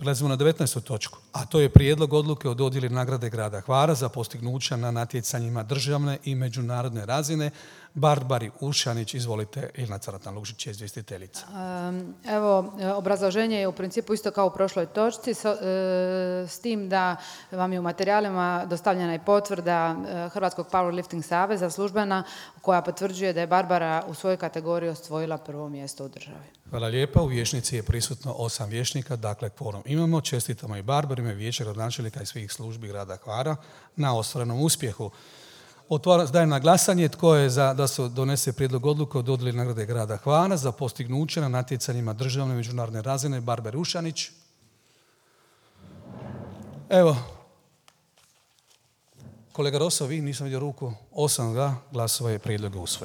Prelazimo na 19. točku, a to je prijedlog odluke o dodjeli nagrade grada Hvara za postignuća na natjecanjima državne i međunarodne razine. Barbari Ušanić, izvolite, Ilna Caratan-Lužić je izvjestiteljica. Evo, obrazloženje je u principu isto kao u prošloj točci, s tim da vam je u materijalima dostavljena i potvrda Hrvatskog Powerlifting saveza službena koja potvrđuje da je Barbara u svojoj kategoriji osvojila prvo mjesto u državi. Hvala lijepa. U vijećnici je prisutno 8 vijećnika, dakle kvorum imamo. Čestitamo i Barbarima, vijeće, gradonačelnika i svih službi grada Hvara na ostvarenom uspjehu. Dajem na glasanje tko je za da se donese prijedlog odluke o dodjeli nagrade grada Hvara za postignuće na natjecanjima državne i međunarodne razine. Barbar Ušanić. Evo, kolega Roso, vi nisam vidio ruku. 8 glasova je prijedlog usvojen.